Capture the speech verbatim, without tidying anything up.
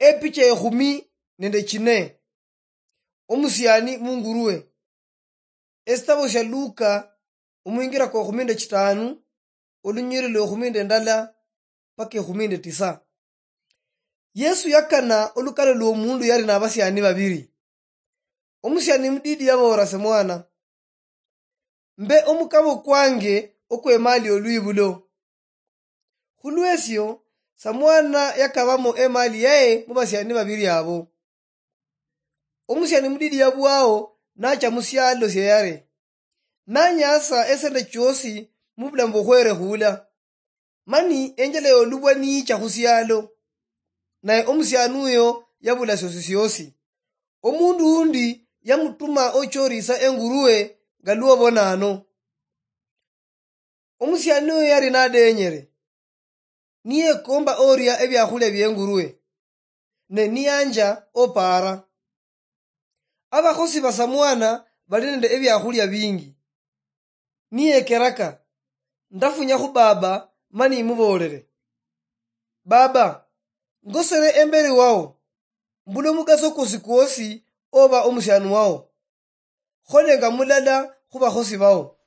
Epicha ekhumi nende chine. Omusiani mungurue. Esitabo sia Luka, omwingira kwa ekhumi nende chitanu, olunyiriri lwa ekhumi nende ndala paka ekhumi nende tisa. Yesu yakana olukano lwomundu yali nabasiani babiri. Omusiani mudidi yaboora samwana, mbe omukabo kwange okwemali olwibulo. Khulwesio, samwana yakabamo emali yaye mubasiani babiri abo. Omusiani mudidi yabwao nacha musialo sieyare, nanyasa esente chiosi mubulamu bwokhwerekhula. Mani enjala yolubwa niyicha khusialo, naye omusiani uyo yabula siosi siosi. Omundu undi yamutuma ochorisa engurue nga lwobona ano. Omusiani uyo yali nadenyere, niyekomba oria ebiakhulia biengurue, ne niyanja opaara. Abakhosi basamwana bali nende ebiakhulia bingi. Niyekeraka, ndafunya khu baba mani imuboolere, "Baba, ngosere emberi wao, mbula omugaso kwosi kwosi oba omusiani wao. Kholenga mulala khu bakhosi bao."